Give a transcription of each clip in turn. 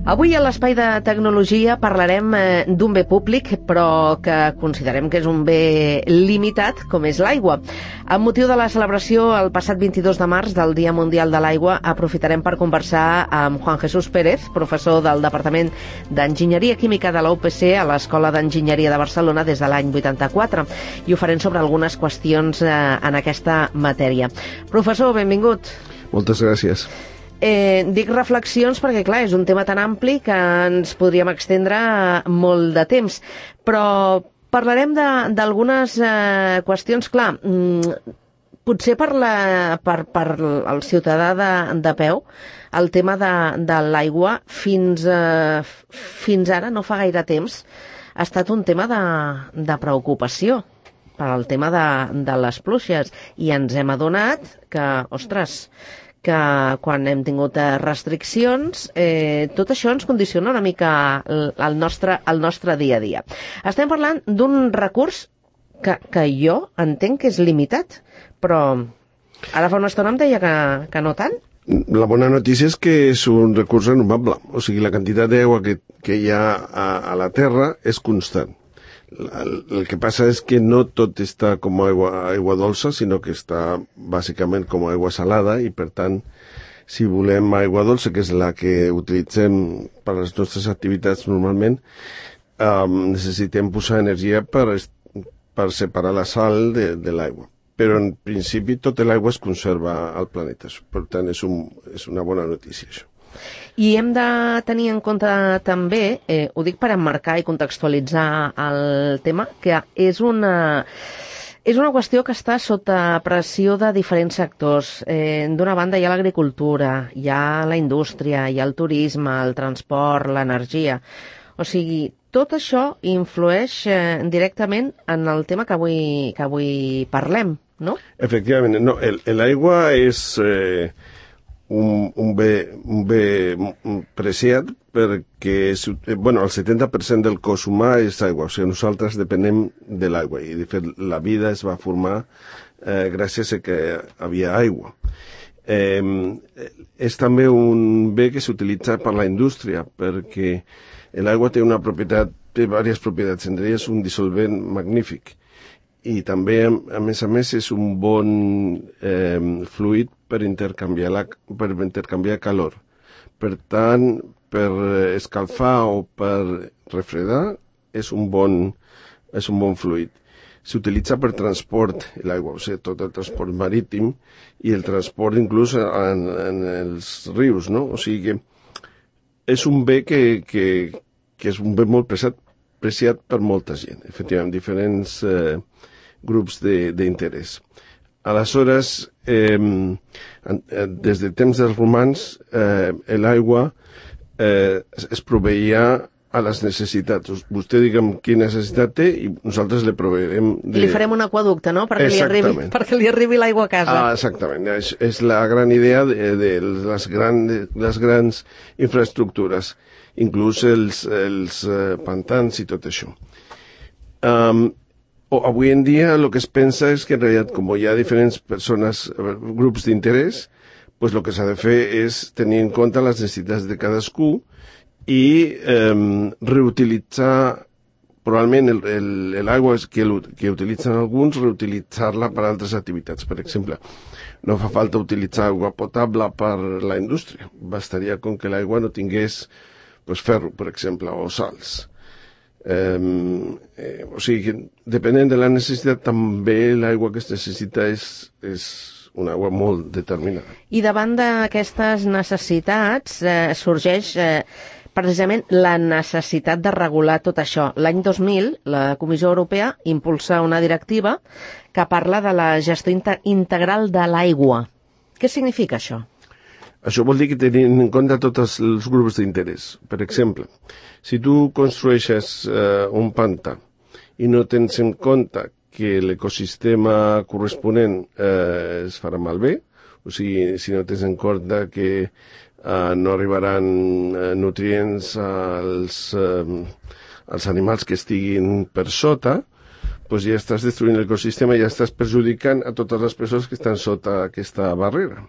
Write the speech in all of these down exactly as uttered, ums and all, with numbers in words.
Avui a l'Espai de Tecnologia parlarem eh, d'un bé públic, però que considerem que és un bé limitat, com és l'aigua. Amb motiu de la celebració el passat vint-i-dos de març del Dia Mundial de l'Aigua, aprofitarem per conversar amb Juan Jesús Pérez, professor del Departament d'Enginyeria Química de la U P C a l'Escola d'Enginyeria de Barcelona des de l'any vuitanta-quatre, i ho farem sobre algunes qüestions eh, en aquesta matèria. Professor, benvingut. Moltes gràcies. Eh, dic reflexions perquè, clar, és un tema tan ampli que ens podríem extendre molt de temps, però parlarem d'algunes eh, qüestions, clar, mm, potser per, la, per, per el ciutadà de, de peu, el tema de, de l'aigua fins, eh, fins ara, no fa gaire temps, ha estat un tema de, de preocupació per al tema de, de les pluges, i ens hem adonat que, ostres, que quan hem tingut restriccions, eh, tot això ens condiciona una mica el, el, nostre, el nostre dia a dia. Estem parlant d'un recurs que, que jo entenc que és limitat, però ara fa una estona em deia que, que no tant. La bona notícia és que és un recurs renovable, o sigui, la quantitat d'aigua que, que hi ha a, a la Terra és constant. El, el que passa és que no tot està com aigua, aigua dolça, sinó que està bàsicament com aigua salada, i per tant, si volem aigua dolça, que és la que utilitzem per a les nostres activitats normalment, um, necessitem posar energia per, per separar la sal de, de l'aigua. Però en principi tota l'aigua es conserva al planeta, per tant és, un, és una bona notícia això. I hem de tenir en compte també, eh, ho dic per emmarcar i contextualitzar el tema, que és una, és una qüestió que està sota pressió de diferents sectors. Eh, D'una banda hi ha l'agricultura, hi ha la indústria, hi ha el turisme, el transport, l'energia. O sigui, tot això influeix eh, directament en el tema que avui, que avui parlem, no? Efectivament, no, l'aigua és... Eh, Un, un, bé, un bé preciat perquè bueno, el setanta per cent del cos humà és aigua, o sigui, nosaltres depenem de l'aigua, i de fet la vida es va formar eh, gràcies a que havia aigua. Eh, és també un bé que s'utilitza per la indústria, perquè l'aigua té una propietat, té diverses propietats, entre elles un dissolvent magnífic, i també, a més a més, és un bon eh, fluid per intercanviar, la, per intercanviar calor. Per tant, per escalfar o per refredar, és un bon, és un bon fluid. S'utilitza per transport, l'aigua, o sigui, tot el transport marítim i el transport inclús en, en els rius, no? O sigui que és un bé que, que, que és un bé molt preciat, preciat per molta gent, efectivament, diferents... Eh, grups d'interès. Aleshores, eh, des de temps dels romans, eh, l'aigua eh, es proveïa a les necessitats. Vostè diguem quina necessitat té i nosaltres li proveirem... De... I li farem un aquaducte, no?, perquè li arribi, perquè li arribi l'aigua a casa. Ah, exactament. És, és la gran idea de, de, les, gran, de les grans infraestructures, inclús els, els eh, pantans i tot això. Um, Avui en dia el que es pensa és que en realitat, com hi ha diferents persones, grups d'interès, pues el que s'ha de fer és tenir en compte les necessitats de cadascú i eh, reutilitzar probablement l'aigua que, que utilitzen alguns, reutilitzar-la per a altres activitats. Per exemple, no fa falta utilitzar aigua potable per la indústria. Bastaria com que l'aigua no tingués pues, ferro, per exemple, o sals. Eh, eh, o sigui que depenent de la necessitat també l'aigua que es necessita és, és una aigua molt determinada. I davant d'aquestes necessitats eh, sorgeix eh, precisament la necessitat de regular tot això. L'any dos mil la Comissió Europea impulsa una directiva que parla de la gestió integral de l'aigua. Què significa això? Això vol dir que tenint en compte tots els grups d'interès. Per exemple, si tu construeixes eh, un pantà i no tens en compte que l'ecosistema corresponent eh, es farà malbé, o sigui, si no tens en compte que eh, no arribaran eh, nutrients als, eh, als animals que estiguin per sota, doncs ja estàs destruint l'ecosistema i ja estàs perjudicant a totes les persones que estan sota aquesta barrera.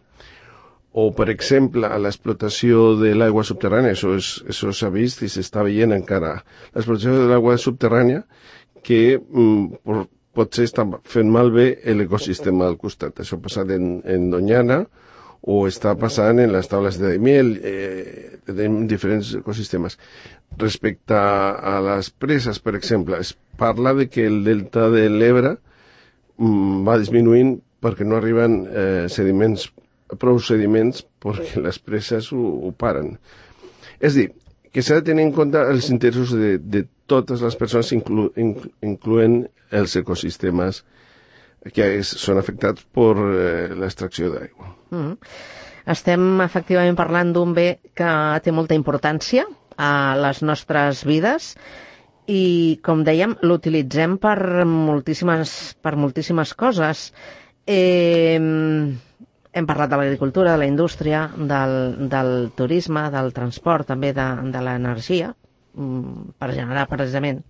O, per exemple, a l'explotació de l'aigua subterrània, això és, això s'ha vist i s'està veient encara, l'explotació de l'aigua subterrània que mm, potser està fent malbé l'ecosistema del costat. Això ha passat en, en Doñana o està passant en les taules de Daimiel, eh, en diferents ecosistemes. Respecte a les preses, per exemple, es parla de que el delta de l'Ebre mm, va disminuint perquè no arriben eh, sediments, prou sediments perquè les preses ho, ho paren. És a dir, que s'ha de tenir en compte els interessos de, de totes les persones, inclu, inclu, incloent els ecosistemes que és, són afectats per eh, l'extracció d'aigua. Mm. Estem efectivament parlant d'un bé que té molta importància a les nostres vides i, com dèiem, l'utilitzem per moltíssimes, per moltíssimes coses. Eh, hem parlat de l'agricultura, de la indústria, del, del turisme, del transport, també de, de l'energia, per generar precisament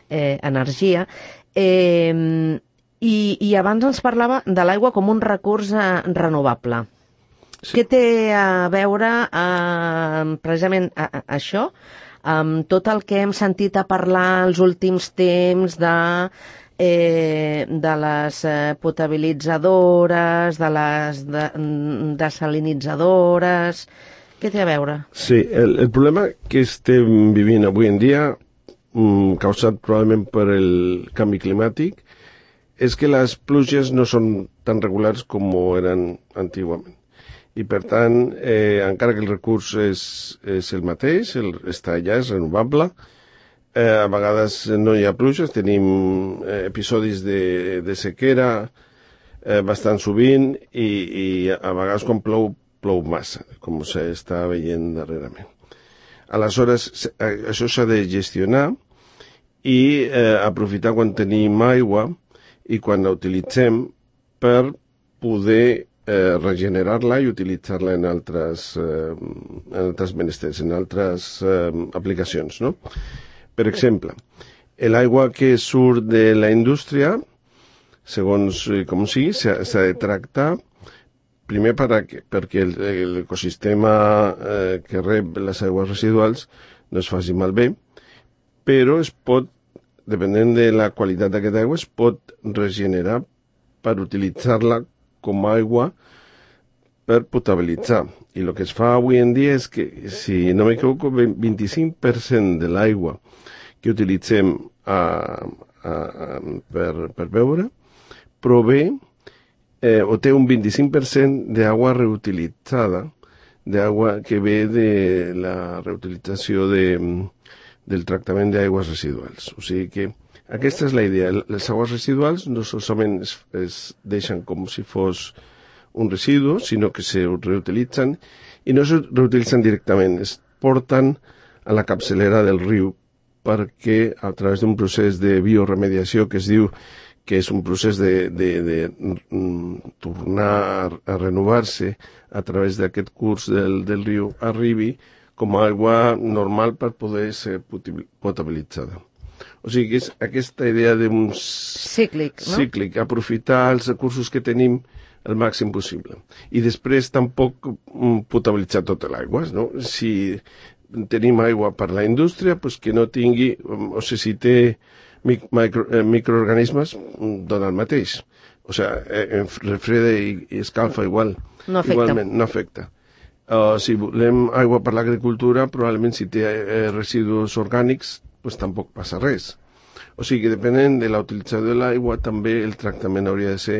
eh, energia. Eh, i, I abans ens parlava de l'aigua com un recurs eh, renovable. Sí. Què té a veure eh, precisament a, a, això amb tot el que hem sentit a parlar els últims temps de, eh, de les eh, potabilitzadores, de les de, desalinitzadores? Què té a veure? Sí, el, el problema que estem vivint avui en dia, mm, causat probablement per el canvi climàtic, és que les pluges no són tan regulars com eren antigament. I, per tant, eh, encara que el recurs és, és el mateix, el, està allà, és renovable, eh, a vegades no hi ha pluges, tenim eh, episodis de, de sequera eh, bastant sovint i, i a vegades quan plou, plou massa, com s'està veient darrerament. Aleshores, això s'ha de gestionar i eh, aprofitar quan tenim aigua i quan la utilitzem per poder eh, regenerar-la i utilitzar-la en altres, eh, en altres menesters, en altres eh, aplicacions, no? Per exemple, l'aigua que surt de la indústria, segons eh, com sigui, s'ha de tractar primer perquè, perquè l'ecosistema eh, que rep les aigües residuals no es faci malbé, però es pot, depenent de la qualitat d'aquesta aigua, es pot regenerar per utilitzar-la com a aigua per potabilitzar. I el que es fa avui en dia és que, si no m'equivoco, vint-i-cinc per cent de l'aigua que utilitzem a, a, a, per, per beure prové eh, o té un vint-i-cinc per cent d'aigua reutilitzada, d'aigua que ve de la reutilització de, del tractament d'aigües residuals. O sigui que aquesta és la idea. Les aigües residuals no solament es, es deixen com si fos un residu, sinó que se reutilitzen i no se reutilitzen directament, es porten a la capçalera del riu perquè a través d'un procés de bioremediació que es diu que és un procés de, de, de, de tornar a renovar-se a través d'aquest curs del, del riu, arribi com a aigua normal per poder ser potabilitzada. O sigui que és aquesta idea d'un cíclic, no? cíclic, aprofitar els recursos que tenim el màxim possible. I després tampoc potabilitzar tota l'aigua, no? Si tenim aigua per la indústria, pues que no tingui, o sigui, si té micro, eh, microorganismes, dona el mateix. O sigui, refreda i, i escalfa igual. No afecta. Igualment, no afecta. Uh, si volem aigua per l'agricultura, probablement si té eh, residus orgànics, pues tampoc passa res. O sigui que depenent de la utilització de l'aigua, també el tractament hauria de ser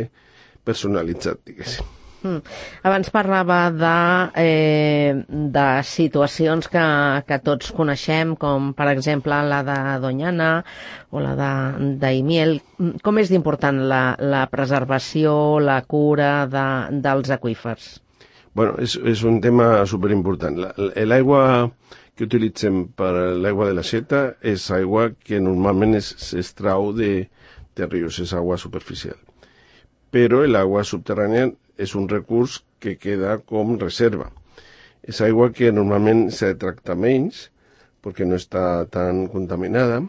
personalitzat, diguéssim. Mm. Abans parlava de, eh, de situacions que, que tots coneixem, com per exemple la de Doñana o la de Daimiel. Com és d'important la, la preservació, la cura de, dels aqüífers? Bueno, és, és un tema superimportant. L'aigua que utilitzem per l'aigua de la seta és aigua que normalment s'extrau de, de rius, és aigua superficial. Però l'aigua subterrània és un recurs que queda com reserva. És aigua que normalment s'ha de tractar menys perquè no està tan contaminada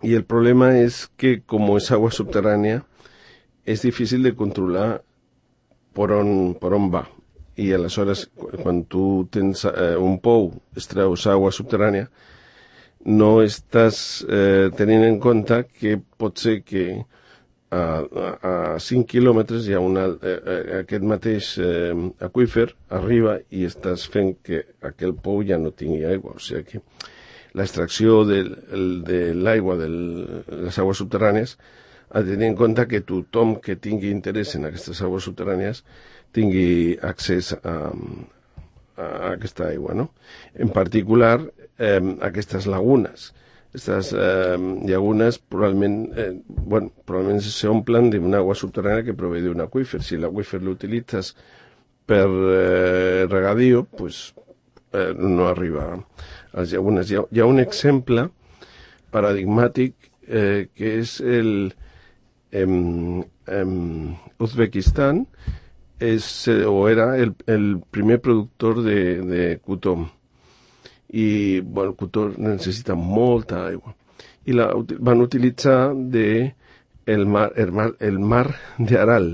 i el problema és que com és aigua subterrània és difícil de controlar per on, per on va. i aleshores quan tu tens eh, un pou, extreus aigua subterrània, no estàs eh, tenint en compte que pot ser que a, a, a cinc quilòmetres hi ha una, eh, aquest mateix eh, aqüífer arriba i estàs fent que aquell pou ja no tingui aigua. O sigui que l'extracció de, de l'aigua, de les aigües subterrànies, ha de tenir en compte que tothom que tingui interès en aquestes aigües subterrànies tingui accés a, a aquesta aigua, no? En particular, eh, aquestes lagunes. Aquestes eh, llagunes probablement, eh, bueno, probablement s'omplen d'una aigua subterrània que prové d'un aqüífer. Si l'aqüífer l'utilitzes per eh, regadío, pues, eh, no arriba a les llagunes. Hi ha, hi ha un exemple paradigmàtic eh, que és el em, em, Uzbekistan, és, o era el, el primer productor de, de cotó. I bueno, el cotó necessita molta aigua. I la van utilitzar de el mar, el mar, el mar de Aral.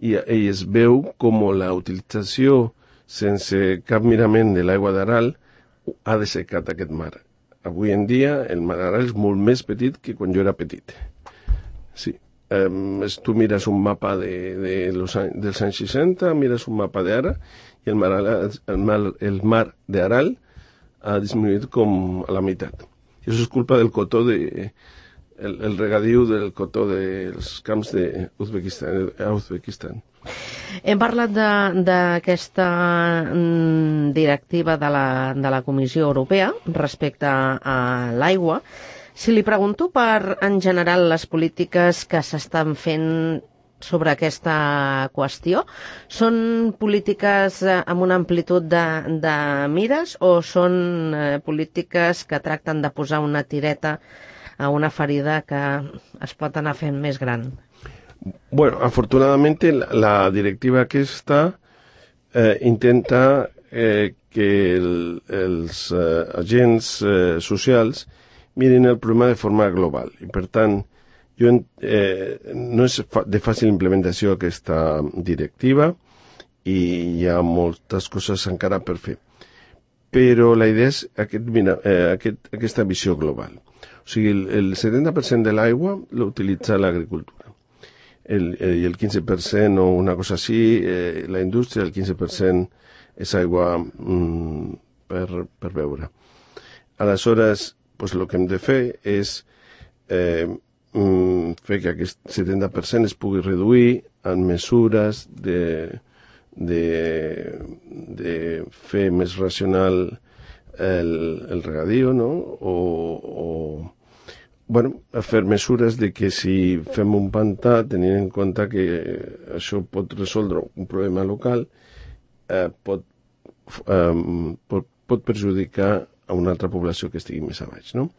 I, i es veu com la utilització sense cap mirament de l'aigua d'Aral ha dessecat aquest mar. Avui en dia el mar d'Aral és molt més petit que quan jo era petit. Sí. Um, tu mires un mapa de, de los, dels anys seixanta, mires un mapa d'ara i el mar, el mar, el mar d'Aral ha disminuït com a la meitat. I això és culpa del cotó, de, el, el regadiu del cotó dels camps d'Uzbekistan. Uzbekistan. Hem parlat d'aquesta directiva de la, de la Comissió Europea respecte a l'aigua. Si li pregunto per, en general, les polítiques que s'estan fent sobre aquesta qüestió, són polítiques amb una amplitud de, de mires o són eh, polítiques que tracten de posar una tireta a una ferida que es pot anar fent més gran? Bueno, afortunadamente la, la directiva aquesta eh, intenta eh, que el, els eh, agents eh, socials miren el problema de forma global i per tant jo, eh, no és de fàcil implementació aquesta directiva i hi ha moltes coses encara per fer. Però la idea és aquest, mira, eh, aquest, aquesta visió global. O sigui, el, el setanta per cent de l'aigua l'utilitza l'agricultura. El, el, I el quinze per cent o una cosa així, eh, la indústria, el quinze per cent és aigua mm, per, per beure. Aleshores, pues, el que hem de fer és eh, fer que aquest setanta per cent es pugui reduir en mesures de, de, de fer més racional el, el regadío, no? O, o bueno, fer mesures de que si fem un pantà, tenint en compte que això pot resoldre un problema local, eh, pot, eh, pot, pot perjudicar a una altra població que estigui més a baix, no?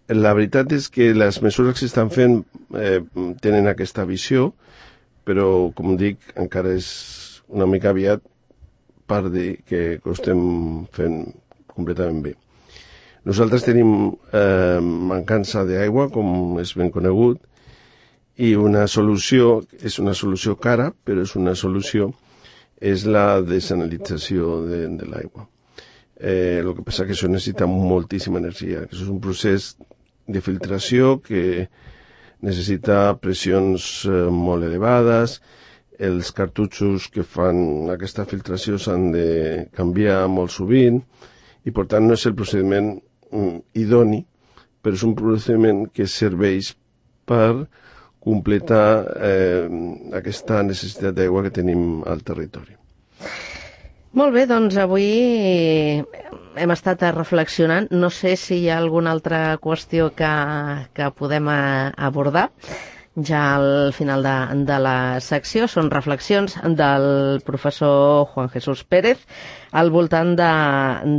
La veritat és que les mesures que s'estan fent eh, tenen aquesta visió, però, com dic, encara és una mica aviat per dir que ho estem fent completament bé. Nosaltres tenim eh, mancança d'aigua, com és ben conegut, i una solució, és una solució cara, però és una solució, és la desalinització de, de l'aigua. Eh, el que passa que això necessita moltíssima energia, que això és un procés de filtració que necessita pressions eh, molt elevades, els cartutxos que fan aquesta filtració s'han de canviar molt sovint i per tant no és el procediment mm, idoni, però és un procediment que serveix per completar eh, aquesta necessitat d'aigua que tenim al territori. Molt bé, doncs avui hem estat reflexionant. No sé si hi ha alguna altra qüestió que, que podem abordar ja al final de, de la secció. Són reflexions del professor Juan Jesús Pérez al voltant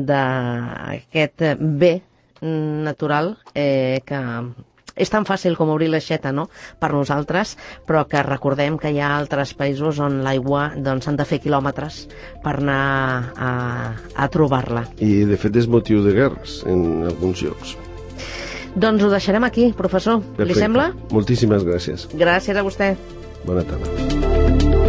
d'aquest bé natural eh, que és tan fàcil com obrir l'aixeta, no?, per nosaltres, però que recordem que hi ha altres països on l'aigua doncs, s'han de fer quilòmetres per anar a, a trobar-la. I, de fet, és motiu de guerres en alguns llocs. Doncs ho deixarem aquí, professor. Perfecte. Li sembla? Moltíssimes gràcies. Gràcies a vostè. Bona tarda.